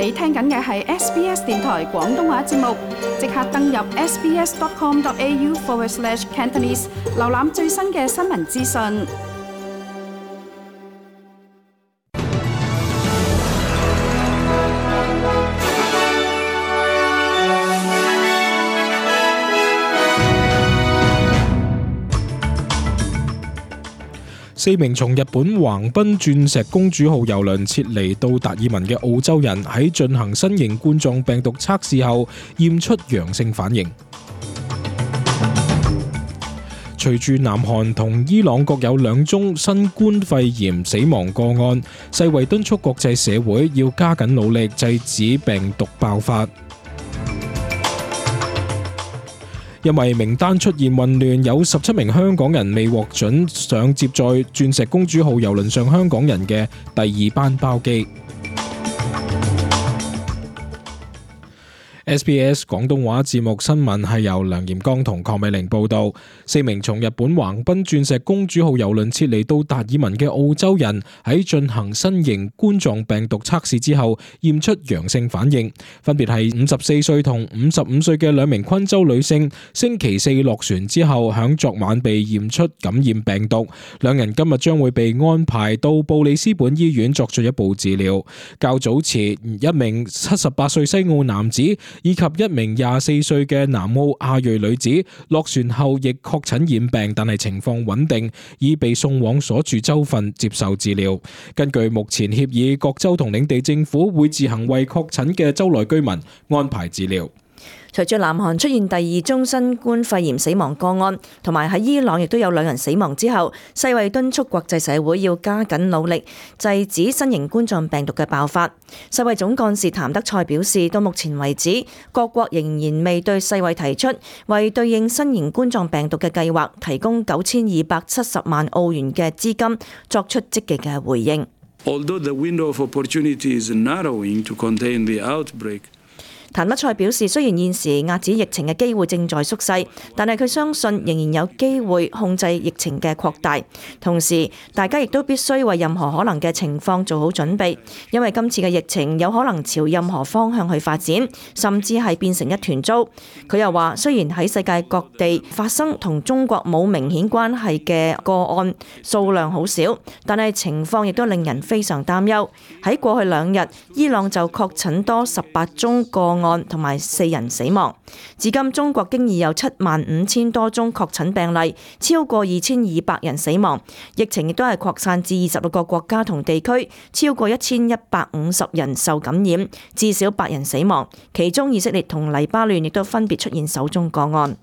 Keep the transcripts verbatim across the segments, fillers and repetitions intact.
你聽緊嘅係 S B S 電台廣東話節目，即刻登入 sbs.com.au forward slash Cantonese， 瀏覽最新嘅新聞資訊。四名從日本橫濱鑽石公主號郵輪撤離到達爾文嘅澳洲人喺進行新型冠狀病毒測試後驗出陽性反應。隨住南韓同伊朗各有兩宗新冠肺炎死亡個案，世衛敦促國際社會要加緊努力制止病毒爆發。因為名單出現混亂，有十七名香港人未獲准上接載鑽石公主號郵輪上香港人嘅第二班包機。S B S 廣東話節目新聞係由梁炎剛同鄺美玲報道。四名從日本橫濱鑽石公主號郵輪撤離到達爾文嘅澳洲人喺進行新型冠狀病毒測試之後驗出陽性反應，分別係五十四歲同五十五歲嘅兩名昆州女性。星期四落船之後響昨晚被驗出感染病毒，兩人今日將會被安排到布里斯本醫院作進一步治療。較早前一名七十八歲西澳男子以及一名廿四歲嘅南澳亞裔女子落船後亦確診染病，但係情況穩定，已被送往所住州份接受治療。根據目前協議，各州同領地政府會自行為確診嘅州內居民安排治療。隨住南韓出現第二宗新冠肺炎死亡個案，同埋喺伊朗亦都有兩人死亡之後，世衛敦促國際社會要加緊努力制止新型冠狀病毒嘅爆發。世衛總幹事譚德塞表示，到目前為止，各國仍然未對世衛提出為對應新型冠狀病毒嘅計劃提供九千二百七十萬澳元嘅資金，作出積極嘅回應。Although the window of opportunity is narrowing to contain the outbreak,譚德塞表示，雖然現時遏止疫情嘅機會正在縮細，但係佢相信仍然有機會控制疫情嘅擴大。同時，大家亦都必須為任何可能嘅情況做好準備，因為今次嘅疫情有可能朝任何方向去發展，甚至係變成一團糟。佢又話，雖然喺世界各地發生同中國冇明顯關係嘅個案數量好少，但係情況亦都令人非常擔憂。喺過去兩日，伊朗就確診多十八宗個案案同埋四人死亡。至今中國經已有七萬五千多宗確診病例，超過二千二百人死亡。疫情亦都係擴散至二十六個國家同地區，超過一千一百五十人受感染，至少八人死亡。其中以色列同黎巴嫩亦都分別出現首宗個案。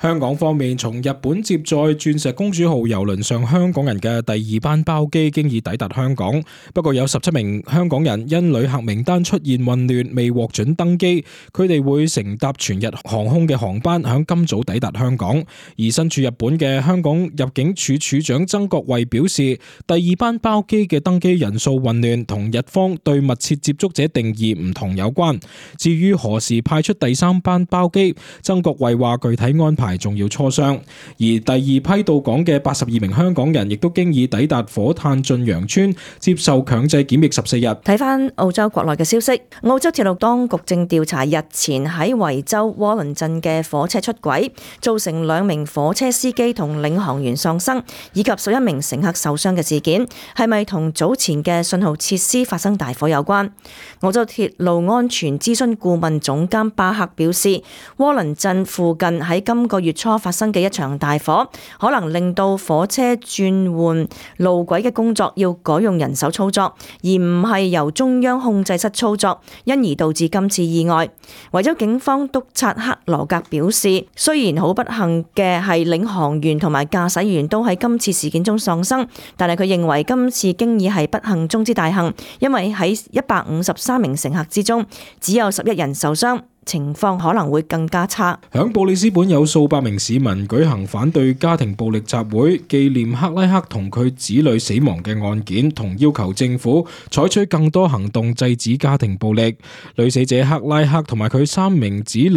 香港方面，從日本接載鑽石公主號郵輪上香港人嘅第二班包機經已抵達香港，不過有十七名香港人因旅客名單出現混亂，未獲准登機，佢哋會乘搭全日航空嘅航班響今早抵達香港。而身處日本嘅香港入境處處長曾國衛表示，第二班包機嘅登機人數混亂同日方對密切接觸者定義唔同有關。至於何時派出第三班包機，曾國衛話具體安排仲要磋商。而第二批到港嘅八十二名香港人亦都經已抵達火炭駿洋邨接受強制檢疫十四日。睇翻澳洲國內嘅消息，澳洲鐵路當局正調查日前喺維州窩倫鎮嘅火車出軌，造成兩名火車司機同領航員喪生，以及十一名乘客受傷嘅事件，係咪同早前嘅信號設施發生大火有關？澳洲鐵路安全諮詢顧問總監巴克表示，窩倫鎮附近喺今個月初發生嘅一場大火，可能令到火車轉換路軌嘅工作要改用人手操作，而唔係由中央控制室操作，因而導致今次意外。維州警方督察克羅格表示，雖然好不幸嘅係領航員同埋駕駛員都喺今次事件中喪生，但係佢認為今次經已係不幸中之大幸，因為喺一百五十三名乘客之中，只有十一人受傷。情況可能會更加差。響布里斯本有數百名市民舉行反對家庭暴力集會，紀念克拉克同佢子女死亡嘅案件，同要求政府採取更多行動制止家庭暴力。女死者克拉克同埋佢三名子女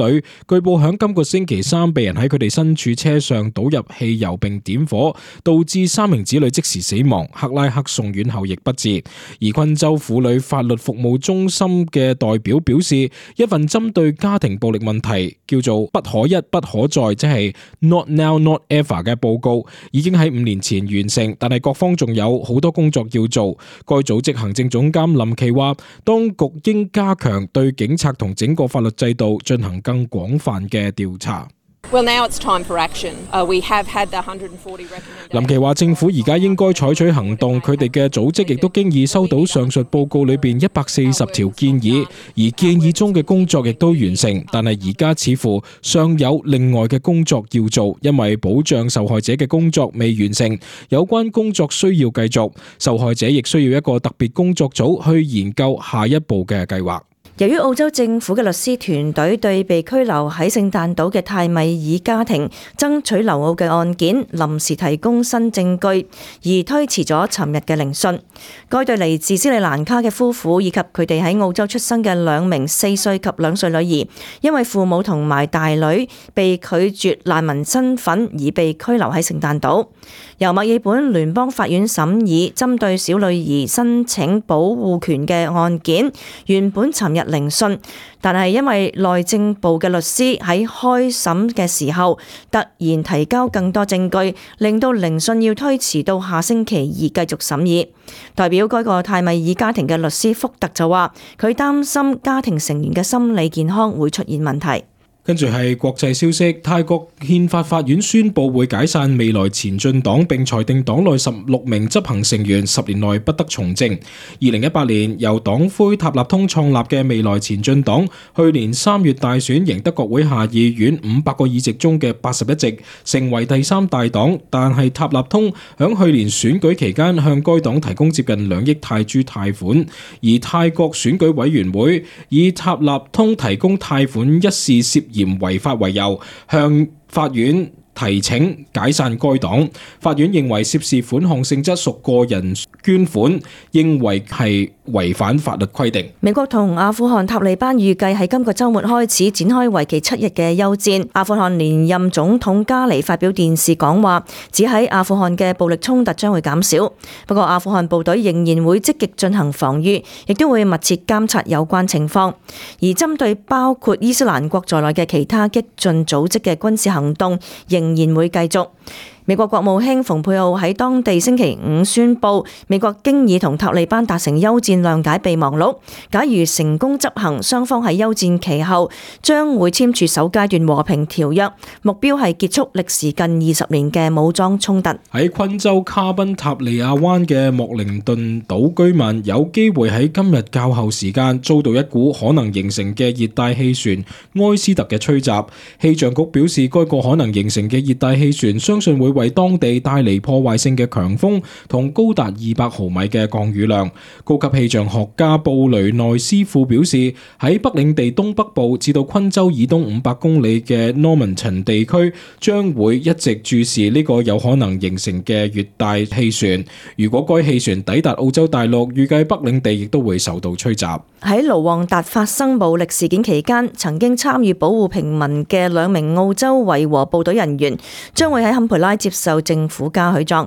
據報響今個星期三被人喺佢哋身處車上倒入汽油並點火，導致三名子女即時死亡。克拉克送院後亦不治。而昆州婦女法律服務中心嘅代表表示，一份針對家庭暴力問題叫做不可一不可再，即係 Not Now Not Ever 嘅報告已經喺五年前完成，但係各方仲有好多工作要做。該組織行政總監林奇話，當局應加強對警察同整個法律制度進行更廣泛嘅調查。Well, now it's time for action. Uh, we have had the one hundred forty recommendations. 林奇話政府而家應該採取行動，佢哋嘅組織亦都經已收到上述報告裏邊一百四十條建議，而建議中嘅工作亦都完成，但係而家似乎尚有另外嘅工作要做，因為保障受害者嘅工作未完成，有關工作需要繼續，受害者亦需要一個特別工作組去研究下一步嘅計劃。由於澳洲政府嘅律師團隊對被拘留喺聖誕島嘅泰米爾家庭爭取留澳嘅案件臨時提供新證據，而推遲咗尋日嘅聆訊。該對嚟自斯里蘭卡嘅夫婦以及佢哋喺澳洲出生嘅兩名四歲及兩歲女兒，因為父母同埋大女被拒絕難民身份而被拘留喺聖誕島。由墨爾本聯邦法院審議針對小女兒申請保護權嘅案件，原本尋日聆訊，但係因為內政部嘅律師喺開審嘅時候突然提交更多證據，令到聆訊要推遲到下星期二繼續審議。代表該個泰米爾家庭嘅律師福特就話，佢擔心家庭成員嘅心理健康會出現問題。跟住係國際消息，泰國憲法法院宣布會解散未來前進黨，並裁定黨內十六名執行成員十年內不得從政。二零一八年由黨魁塔納通創立嘅未來前進黨，去年三月大選贏得國會下議院五百個議席中嘅八十一席，成為第三大黨。但係塔納通響去年選舉期間向該黨提供接近兩億泰銖貸款，而泰國選舉委員會以塔納通提供貸款一事涉嫌嫌違法為由，向法院提請解散該黨。法院認為涉事款項性質屬個人捐款，認為係違反法律規定。美國同阿富汗塔利班預計喺今個週末開始展開為期七日嘅休戰。阿富汗連任總統加尼發表電視講話，指喺阿富汗嘅暴力衝突將會減少。不過阿富汗部隊仍然會積極進行防禦，亦都會密切監察有關情況。而針對包括伊斯蘭國在內嘅其他激進組織嘅軍事行動，仍然會繼續。美國國務卿蓬佩奧喺當地星期五宣布，美國經已同塔利班達成休戰諒解備忘錄。假如成功執行，雙方喺休戰期後將會簽署首階段和平條約，目標係結束歷時近二十年嘅武裝衝突。喺昆州卡賓塔利亞灣嘅莫靈頓島居民有機會喺今日較後時間遭到一股可能形成嘅熱帶氣旋埃斯特嘅吹襲。氣象局表示，該個可能形成嘅熱帶氣旋相信會為當地帶嚟破壞性嘅強風同高達二百毫米嘅降雨量。高級氣象學家布雷內斯庫表示，喺北領地東北部至到昆州以東五百公里嘅 Normanton 地區將會一直注視呢個有可能形成嘅熱帶氣旋。如果該氣旋抵達澳洲大陸，預計北領地亦都會受到吹襲。喺盧旺達發生暴力事件期間，曾經參與保護平民嘅兩名澳洲維和部隊人員將會喺坎培拉接受政府嘉許狀。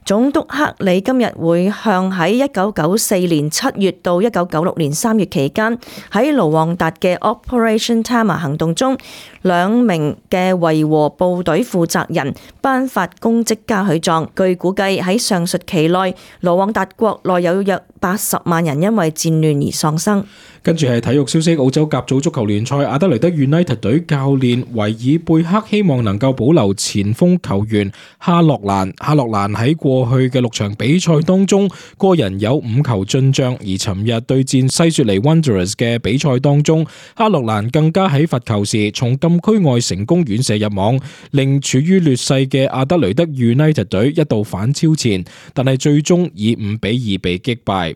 總督克里今日會向喺一九九四年七月到一九九六年三月期間喺盧旺達嘅 Operation Tama 行動中兩名嘅維和部隊負責人頒發公職嘉許狀。據估計喺上述期內，盧旺達國內有約八十萬人因為戰亂而喪生。跟住係體育消息，澳洲甲組足球聯賽，阿德雷德 United 隊教練維爾貝克希望能夠保留前鋒球員哈洛蘭。哈洛蘭喺過去嘅六場比賽當中，個人有五球進賬，而尋日對戰西雪梨 Wanderers 嘅比賽當中，哈洛蘭更加喺罰球時從禁區外成功遠射入網，令處於劣勢嘅阿德雷德 United 隊一度反超前，但係最終以五比二被擊敗。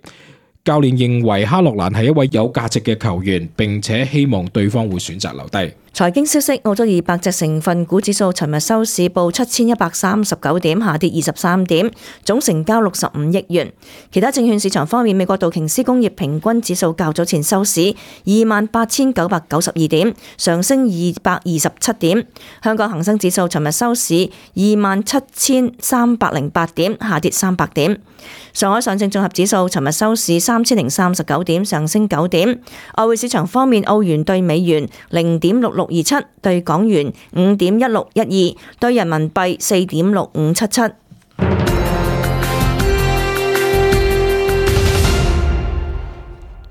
教練認為哈洛蘭係一位有價值嘅球員，並且希望對方會選擇留低。財經消息，澳洲二百隻成分股指數尋日收市報七千一百三十九點，下跌二十三點，總成交六十五億元。其他證券市場方面，美國道瓊斯工業平均指數較早前收市二萬八千九百九十二點，上升二百二十七點。香港恒生指數尋日收市二萬七千三百零八點，下跌三百點。上海上證綜合指數尋日收市三千零三十九點，上升九點。外匯市場方面，澳元對美元零點六六二七，對港元五點一六一二，對人民幣四點六五七七。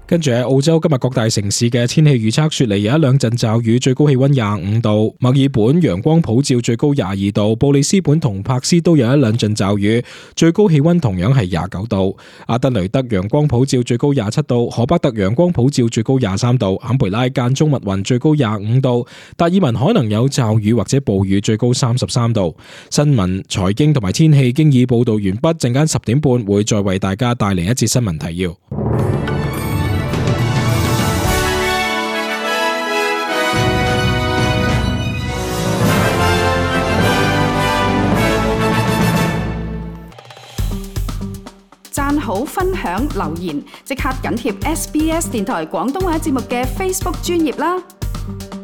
跟住喺澳洲今日各大城市嘅天氣預測，雪梨有一兩陣驟雨，最高氣溫廿五度；墨爾本陽光普照，最高廿二度；布里斯本同柏斯都有一兩陣驟雨，最高氣溫同樣係廿九度；阿德雷德陽光普照，最高廿七度；荷巴特陽光普照，最高廿三度；坎培拉間中密雲，最高廿五度；達爾文可能有驟雨或者暴雨，最高三十三度。新聞、財經同埋天氣經已報道完畢，陣間十點半會再為大家帶嚟一節新聞提要。讚好、分享、留言，即刻緊貼 S B S 電台廣東話節目嘅 Facebook 專頁啦！